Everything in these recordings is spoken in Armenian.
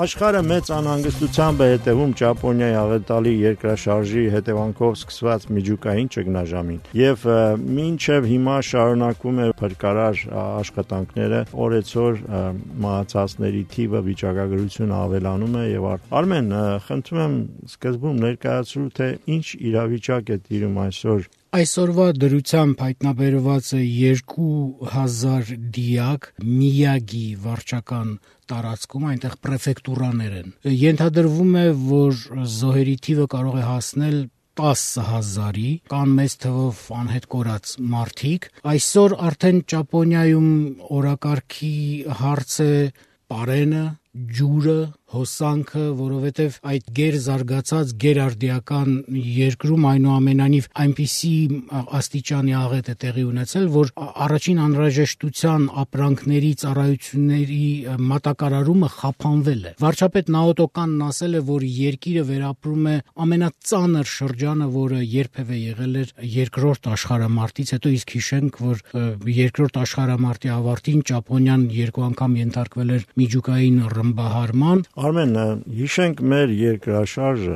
Աշխարհը մեծ անհանգստությամբ է հետևում Ճապոնիայի աղետալի երկրաշարժի հետևանքով սկսված միջուկային ճգնաժամին եւ մինչեւ հիմա շարունակվում է փրկարար աշխատանքները, օրեցօր մահացածների թիվը վիճակագրությունը ավելանում է եւ Արմեն, խնդրում եմ սկզբում ներկայացրու թե ինչ իրավիճակ է տիրում այսօր Այսօրվա դրությամբ հայտնաբերված է 2000 դիակ Միյագի վարչական տարածքում, այնտեղ պրեֆեկտուրաներ են։ Ենթադրվում է, որ զոհերի թիվը կարող է հասնել 10,000-ի, կան մեծ թվով անհետ կորած մարդիկ։ Այսօր արդեն Ճապոնիայում օրակարգի հարց է պարենը, ջուրը, հոսանքը, որովհետև այդ գերզարգացած գերարդիական երկրում այնուամենայնիվ այնպիսի աստիճանի աղետ է տեղի ունեցել, որ առաջին անհրաժեշտության ապրանքների, ծառայությունների մատակարարումը խափանվել է։ Վարչապետ Նաոտո Կանն ասել է, որ երկիրը վերապրում է ամենածանր շրջանը, որը երբևէ եղել էր երկրորդ աշխարհամարտից հետո, իսկ հիշենք, որ երկրորդ աշխարհամարտի ավարտին Ճապոնիան երկու անգամ ենթարկվել էր միջուկային ռմբահարման։ Արմեն, հիշենք մեր երկրաշարժը,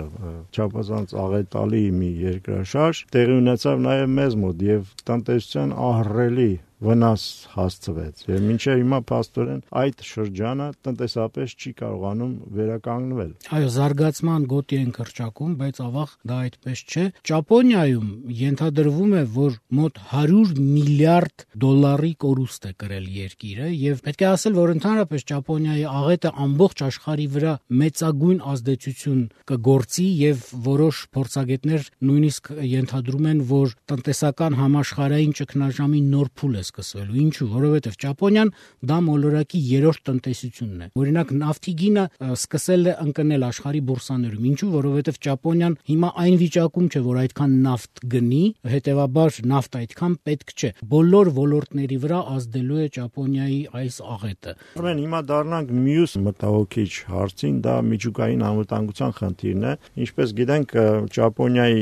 չափազանց աղետալի մի երկրաշարժ, տեղի ունեցավ նաև մեզ մոտ եւ տնտեսության ահռելի վնաս հասցվեց եւ մինչեւ հիմա փաստորեն այդ շրջանը տնտեսապես չի կարողանում վերականգնվել։ Այո, զարգացման գոտի են կրճակում, բայց ավաղ դա այդպես չէ։ Ճապոնիայում ենթադրվում է, որ մոտ 100 միլիարդ դոլարի կորուստ է կրել երկիրը եւ պետք է ասել, որ ընդհանրապես Ճապոնիայի աղետը ամբողջ աշխարհի վրա մեծագույն ազդեցություն կգործի եւ որոշ փորձագետներ նույնիսկ ենթադրում են, որ տնտեսական համաշխարհային ճգնաժամի նոր փուլ է սկսվելու։ Ինչու՞, որովհետև Ճապոնիան դա մոլորակի երրորդ տնտեսությունն է։ Օրինակ նավթի գինը սկսել է ընկնել աշխարհի բուրսաներում։ Ինչու՞, որովհետև Ճապոնիան հիմա այն վիճակում չէ, որ այդքան նավթ գնի, հետեւաբար նավթ այդքան պետք չէ։ Բոլոր ոլորտների վրա ազդելու է Ճապոնիայի այս աղետը։ Ուրեմն հիմա դառնանք մյուս մտահոգիչ հարցին, դա միջուկային անվտանգության խնդիրն է։ Ինչպես գիտենք, Ճապոնիայի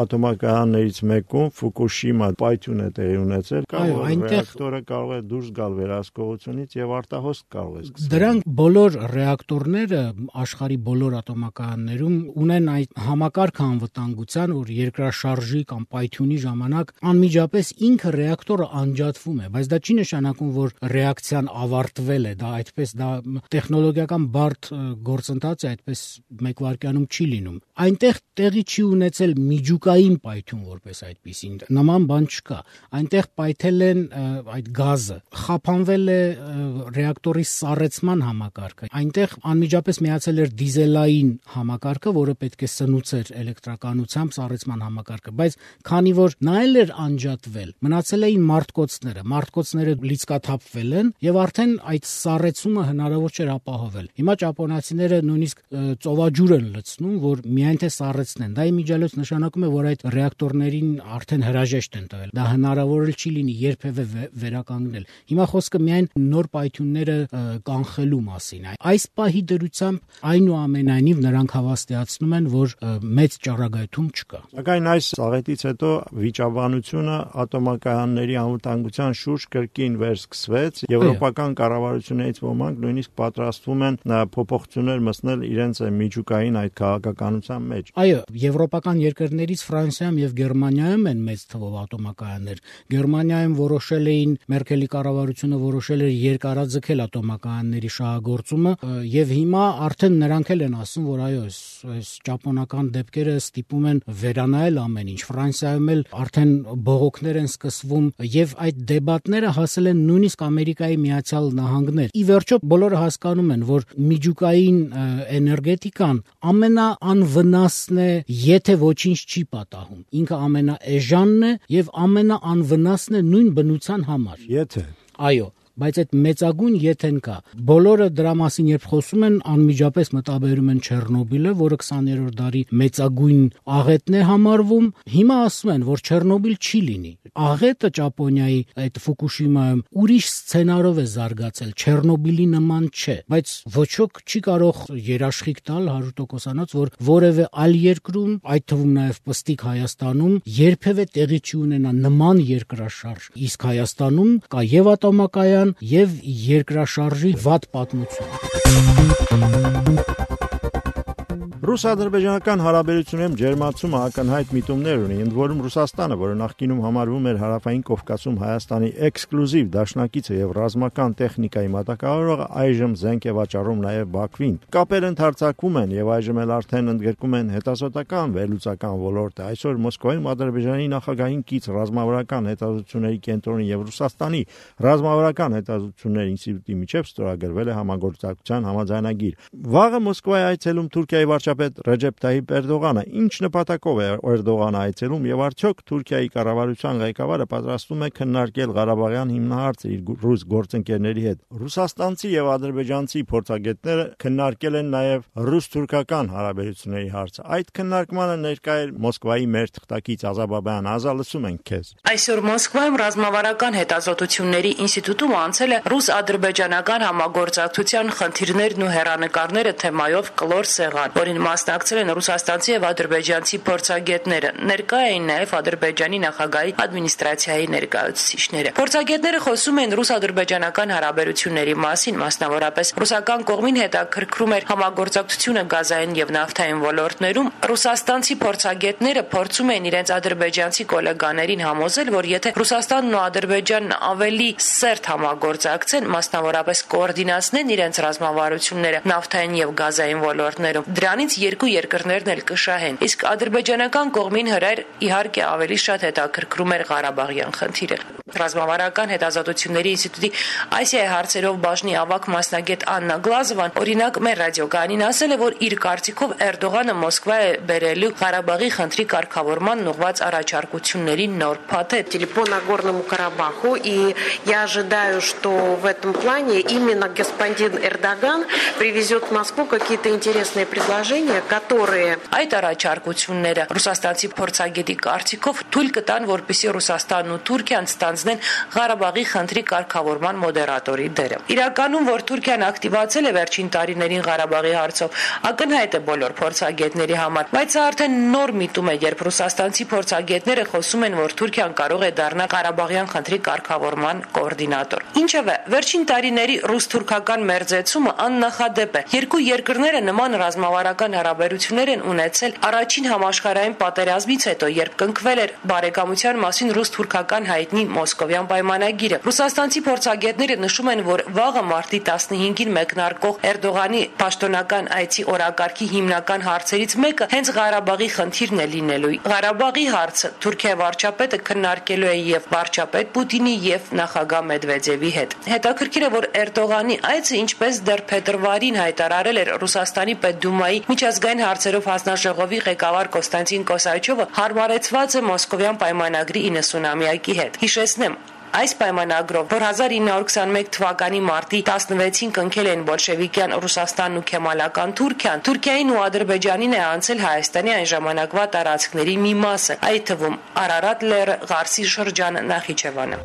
ատոմակայաններից մեկում Ֆուկուշիմա պայթյուն է տեղի ունեցել։ Ռեակտորը կարող է դուրս գալ վերահսկողությունից եւ արտահոսք կարող է սկսել։ Դրանք բոլոր ռեակտորները աշխարհի բոլոր ատոմակայաններում ունեն այդ համակարգ անվտանգության, որ երկրաշարժի կամ պայթյունի ժամանակ անմիջապես ինքը ռեակտորը անջատվում է, բայց դա չի նշանակում, որ ռեակցիան ավարտվել է, դա այդպես դա տեխնոլոգիական բարդ գործընթաց է, այդպես մեկ վայրկյանում չի լինում։ Այնտեղ տեղի չի ունեցել միջուկային պայթյուն որպես այդպիսին, նման բան չկա։ Այնտեղ պայթել են այդ գազը, խափանվել է ռեակտորի սառեցման համակարգը, այնտեղ անմիջապես միացել էր դիզելային համակարգը, որը պետք է սնուցեր էլեկտրականությամբ սառեցման համակարգը, բայց քանի որ նա էլ էր անջատվել, մնացել էին մարտկոցները լիցկաթափվել են եւ արդեն այդ սառեցումը հնարավոր չէր ապահովել։ Հիմա ճապոնացիները նույնիսկ ծովաջուր են լցնում, որ միայն թե սառեցնեն։ Դա իմիջիալոց նշանակում է, որ այդ ռեակտորներին արդեն հրաժեշտ են տվել։ Դա հնարավոր չի լինի երբևէ վերականգնել։ Հիմա խոսքը միայն նոր պայթյունները կանխելու մասին է։ Այս պահի դրությամբ այնուամենայնիվ նրանք հավաստիացնում են, որ մեծ ճառագայթում չկա։ Սակայն այս աղետից հետո վիճաբանությունը ատոմակայանների անվտանգության շուրջ կրկին վերսկսվեց։ Եվրոպական կառավարություններից ոմանք նույնիսկ պատրաստվում են փոփոխություններ մտցնել իրենց միջուկային այդ քաղաքականության մեջ։ Այո, եվրոպական երկրներից Ֆրանսիայում եւ Գերմանիայում են մեծ թվով ատոմակայաններ։ Գերմանիայում որոշել էին, Մերկելի կառավարությունը որոշել էր երկարաձգել ատոմակայանների շահագործումը եւ հիմա արդեն նրանք էլ են ասում, որ այո, այս ճապոնական դեպքերը ստիպում են վերանայել ամեն ինչ։ Ֆրանսիայում էլ արդեն բողոքներ են սկսվում եւ այդ դեբատները հասել են նույնիսկ Ամերիկայի Միացյալ Նահանգներ։ Ի վերջո բոլորը հասկանում են, որ միջուկային էներգետիկան ամենաանվնասն է, եթե ոչինչ չի պատահում։ Ինքը ամենաէժանն է եւ ամենաանվնասն է նույն բնության համար։ Եթե այո, բայց այդ մեծագույն եթեն կա։ Բոլորը դրա մասին երբ խոսում են, անմիջապես մտաբերում են Չեռնոբիլը, որը 20-րդ դարի մեծագույն աղետն է համարվում։ Հիմա ասում են, որ Չեռնոբիլ չի լինի։ Աղետը Ճապոնիայի այդ Ֆուկուշիմայում ուրիշ սցենարով է զարգացել, Չեռնոբիլի նման չէ, բայց ոչ ոք չի կարող երաշխիք տալ 100%-անոց, որ որևէ այլ երկրում, այդ թվում նաև պստիկ Հայաստանում, երբևէ տեղի չի ունենա նման երկրաշարժ։ Իսկ Հայաստանում կա եւ ատոմակայան, կան եւ երկրաշարժի վատ պատմություն։ Ռուս-ադրբեջանական հարաբերություններում ջերմացումը ակնհայտ միտումներ ունի, ընդ որում Ռուսաստանը, որը նախկինում համարվում էր Հարավային Կովկասում Հայաստանի էքսկլյուզիվ դաշնակիցը եւ ռազմական տեխնիկայի մատակարարողը, այժմ զենք է վաճառում նաեւ Բաքվին։ Կապերը ընդարձակվում են եւ այժմ էլ արդեն ընդգրկում են հետազոտական վերլուծական ոլորտը։ Այսօր Մոսկվայում Ադրբեջանի նախագահին կից ռազմավարական հետազոտությունների կենտրոնի եւ Ռուսաստանի ռազմավարական հետազոտությունների ինստիտուտի միջև ստորագրվել է համագործակցության համաձայնագիր։ Վաղը Մոսկվայի այցելում Թուրքիայի վարչապետ Ռեջեփ Թայիփ Էրդողանը ինչ նպատակով է Էրդողանը այցելում եւ արդյոք Թուրքիայի կառավարության ղեկավարը պատրաստվում է քննարկել Ղարաբաղյան հիմնահարցը իր ռուս գործընկերների հետ։ Ռուսաստանցի եւ ադրբեջանցի փորձագետները քննարկել են նաեւ ռուս-թուրքական հարաբերությունների հարցը։ Այդ քննարկմանը ներկա էր Մոսկվայի մեր թղթակից Ազաբաբյան Ազա, լսում ենք քեզ։ Այսօր Մոսկվայում ռազմավարական հետազոտությունների ինստիտուտում անցել է ռուս-ադրբեջանական համագործակցության խնդիրներն ու հեռանկարները թեմայով կլոր սեղան, որին մասնակցել են ռուսաստանցի եւ ադրբեջանցի փորձագետները։ Ներկա էին նաեւ Ադրբեջանի նախագահի ադմինիստրացիայի ներկայացուցիչները։ Փորձագետները խոսում են ռուս-ադրբեջանական հարաբերությունների մասին, մասնավորապես ռուսական կողմին հետաքրքրում էր համագործակցությունը գազային եւ նավթային ոլորտներում։ Ռուսաստանցի փորձագետները փորձում են իրենց ադրբեջանցի գոլեգաներին համոզել, որ եթե Ռուսաստանն ու Ադրբեջանն ավելի սերտ համագործակցեն, մասնավորապես կոորդինացնեն իրենց ռազմավարությունները նավթային եւ գազային ոլորտներում, դրանից երկու երկրներն էլ կշահեն։ Իսկ ադրբեջանական կողմին հրեր իհարկե ավելի շատ հետաքրքրում էր Ղարաբաղյան խնդիրը։ Ռազմավարական հետազոտությունների ինստիտուտի Ասիայի հարցերով բաժնի ավագ մասնագետ Աննա Գլազովան օրինակ մեր ռադիոկայանին ասել է, որ իր կարծիքով Էրդողանը Մոսկվա է բերելու Ղարաբաղի խնդրի կարգավորման ուղղված առաջարկությունների նոր փաթեթ։ По Нагорному Карабаху, и я ожидаю, что в этом плане именно господин Эрдоган привезет в Москву какие-то интересные предложения, которые... Այդ առաջարկությունները ռուսաստանցի փորձագետի կարծիքով թույլ կտան, որպեսզի Ռուսաստանն ու Թուրքիան ստանձնեն Ղարաբաղի խնդրի կարգավորման մոդերատորի դերը։ Իրականում, որ Թուրքիան ակտիվացել է վերջին տարիներին Ղարաբաղի հարցով, ակնհայտ է բոլոր փորձագետների համար, բայց սա արդեն նոր միտում է, երբ ռուսաստանցի փորձագետները խոսում են, որ Թուրքիան կարող է դառնալ Ղարաբաղյան խնդրի կարգավորման կոորդինատոր։ Ինչևէ, վերջին տարիների ռուս-թուրքական մերձեցումը աննախադեպ է։ Երկու երկրները նման ռազմավարական հարաբերություններ են ունեցել առաջին համաշխարհային պատերազմից հետո, երբ կնքվել էր բարեկամության մասին ռուս-թուրքական հայտնի Մոսկովյան պայմանագիրը։ Ռուսաստանցի փորձագետները նշում են, որ վաղը մարտի 15-ին մեկնարկող Էրդողանի պաշտոնական այցի օրակարգի հիմնական հարցերից մեկը հենց Ղարաբաղի խնդիրն է լինելու։ Ղարաբաղի հարցը Թուրքիայի վարչապետը քննարկելու է եւ վարչապետ Պուտինի եւ նախագահ Մեդվեդևի հետ։ Հետաքրքիր է, որ Էրդողանի այցը, ինչպես դեռ փետրվարին հայտարարել էր Ռուսաստանի Պետդումայի միջազգային հարցերով հանձնաժողովի ղեկավար Կոստանտին Կոսաչովը, հարմարեցված է Մոսկովյան պայմանագրի 90-ամյակի հետ։ Հիշեցնեմ, այս պայմանագրով, որ 1921 թվականի մարտի 16-ին կնքել են բոլշևիկյան Ռուսաստանն ու քեմալական Թուրքիան, Թուրքիային ու Ադրբեջանին է անցել Հայաստանի այն ժամանակվա տարածքների մի մասը, այդ թվում Արարատ լեռը, Ղարսի շրջանը, Նախիջևանը։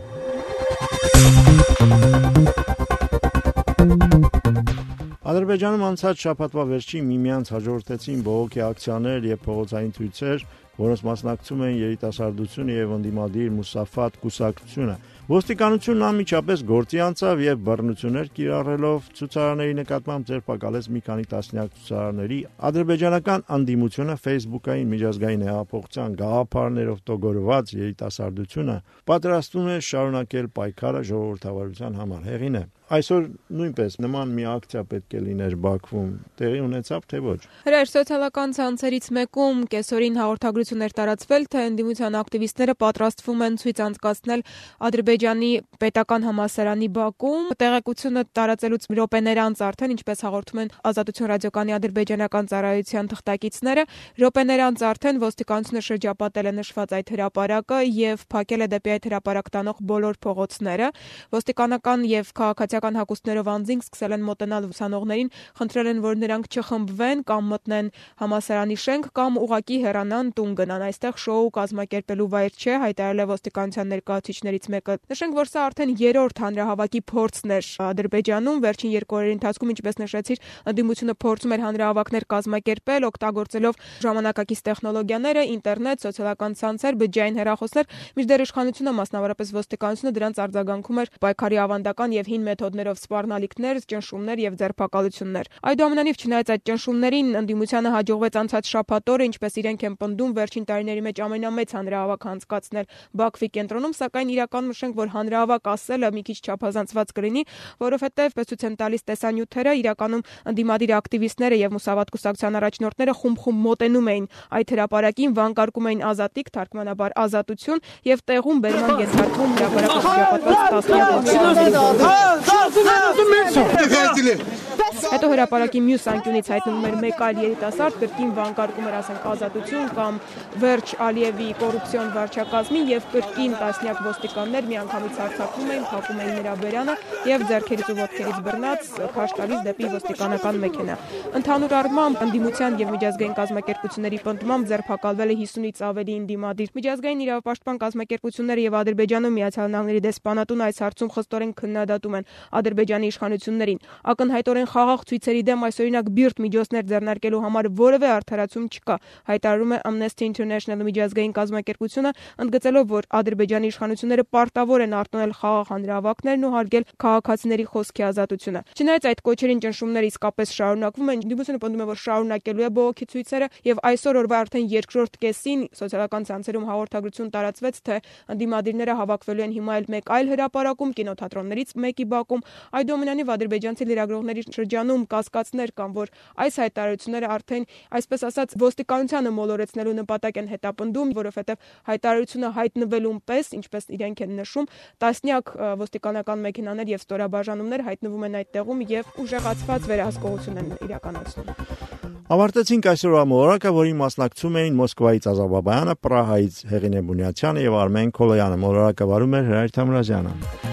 Ադրբեջանում անցած շաբաթվա վերջին միմյանց հաջորդեցին բողոքի ակցիաներ եւ փողոցային ցույցեր, որոնց մասնակցում են երիտասարդությունը եւ ընդդիմադիր Մուսաֆատ կուսակցությունը։ Ոստիկանությունն անմիջապես գործի անցավ եւ բռնություններ կիրառելով ցուցարարների նկատմամբ ձերբակալեց մի քանի տասնյակ ցուցարարների։ Ադրբեջանական անդիմությունը Facebook-ային միջազգային հեղափոխության գաղափարներով տոգորված երիտասարդությունը պատրաստվում է շարունակել պայքարը ժողովրդավարության համար։ Հեղին է։ Այսօր նույնպես նման մի ակցիա պետք է լիներ Բաքվում, տեղի ունեցավ թե ոչ։ Հրաշ սոցիալական ցանցերից մեկում կեսօրին հաղորդագրություններ տարածվել, թե ընդդիմության ակտիվիստները պատրաստվում են ցույց անցկացնել Ադրբեջանի պետական համալսարանի բակում։ Տեղեկությունը տարածելուց րոպեներ անց արդեն, ինչպես հաղորդում են Ազատություն ռադիոկայանի ադրբեջանական ծառայության թղթակիցները, րոպեներ անց արդեն ոստիկանությունը շրջապատել է նշված այդ հրապարակը եւ փակել է դեպի այդ հրապարակ տանող բոլոր փողոցները։ Ոստիկանական եւ քաղաքացիական մարտիրոսյական հագուստներով անձինք սկսել են մոտենալ ուսանողներին, խնդրել են, որ նրանք չխմբվեն կամ մտնեն համալսարանի շենք կամ ուղղակի հեռանան տուն գնան։ Այստեղ շոու կազմակերպելու վայր չէ, հայտարարել է ոստիկանության ներկայացուցիչներից մեկը։ Նշենք, որ սա արդեն երրորդ հանրահավաքի փորձն էր Ադրբեջանում։ Վերջին 2 օրերի ընթացքում, ինչպես նշեցիր, ընդդիմությունը փորձում էր հանրահավաքներ կազմակերպել, օգտագործելով ժամանակակից տեխնոլոգիաները, ինտերնետ, սոցիալական ցանցեր, բջջային հեռախոսներ, մինչդեռ իշխանությունը, մասնավորապես ոստիկանությունը, դրանց արձագանքում էր պայքարի ավանդական եւ հին մեթոդներով սպառնալիքներ, ճնշումներ եւ ձերբակալություններ։ Այդուամենայնիվ, չնայած այդ ճնշումներին, ընդդիմությանը հաջողվեց անցած շաբաթ օրը, ինչպես իրենք են պնդում, վերջին տարիների մեջ ամենամեծ հանրահավաք անցկացնել Բաքվի կենտրոնում, սակայն իրականում նշենք, որ հանրահավաք ասելը մի քիչ չափազանցված կլինի, որովհետեւ պես ցույց են տալիս տեսանյութերը, իրականում ընդդիմադիր ակտիվիստները եւ Մուսավատ կուսակցության առաջնորդները խումբ-խումբ մոտենում էին այդ հրապարակին, վանկարկում էին ազատիկ, թարգմանաբար ազատություն եւ տեղում բերման ենթարկվում հրապարակը շրջապատված տասնյակ։ Հետո հրապարակի մյուս անկյունից հայտնվում էր մեկ այլ երիտասարդ, կրկին վանկարկում էր, ասենք, ազատություն կամ վերջ Ալիևի կոռուպցիոն վարչակազմի եւ կրկին տասնյակ ոստիկաններ միանգամից հարձակվում էին, փակում էին նրա բերանը եւ ձեռքերից ու ոտքերից բռնած քաշ տալիս դեպի ոստիկանական մեքենա։ Ընդհանուր առմամբ ընդդիմության եւ միջազգային կազմակերպությունների պնդմամբ ձերբակալվել է 50-ից ավելի ընդդիմադիր։ Միջազգային իրավապաշտպան կազմակերպությունները եւ Ադրբեջանում Միացյալ Նահանգների դեսպանատուն այս հարցում խստորեն քննադատում են Ադրբեջանի իշխանություններին։ Ակնհայտորեն խաղաղ ցույցերի դեմ այսօրինակ բիրտ միջոցներ ձեռնարկելու համար որևէ արդարացում չկա, հայտարարում է Amnesty International միջազգային կազմակերպությունը, ընդգծելով, որ Ադրբեջանի իշխանությունները պարտավոր են արտոնել խաղաղ հանրահավաքներն ու հարգել քաղաքացիների խոսքի ազատությունը։ Չնայած այդ կոչերին ճնշումները իսկապես շարունակվում են, ընդդիմությունը պնդում է, որ շարունակելու է բողոքի ցույցերը եւ այսօր օրվա արդեն երկրորդ կեսին սոցիալական ցանցերում հաղորդագրություն տարածվեց, թե ընդդիմադիրները հավաքվելու են հիմա մեկ այլ հրապարակում, կինոթատրոններից մեկի բակում։ Այդուամենայնիվ ադրբեջանցի լրագրողների շրջանում կասկածներ կան, որ այս հայտարարությունները արդեն, այսպես ասած, ոստիկանությանը մոլորեցնելու նպատակ են հետապնդում, որովհետև հայտարարությունը հայտնվելուն պես, ինչպես իրենք են նշում, տասնյակ ոստիկանական մեքենաներ եւ ստորաբաժանումներ հայտնվում են այդ տեղում եւ ուժեղացված վերահսկողություն են իրականացնում։ Ավարտեցինք այսօրվա մոլորակը, որին մասնակցում էին Մոսկվայից Ազարբայջանը, Պրահայից Հեղինե Բունյացյանը եւ Արմեն Քոլոյանը։ Մոլորակը վարում էր Հրայր Թամրազյանը։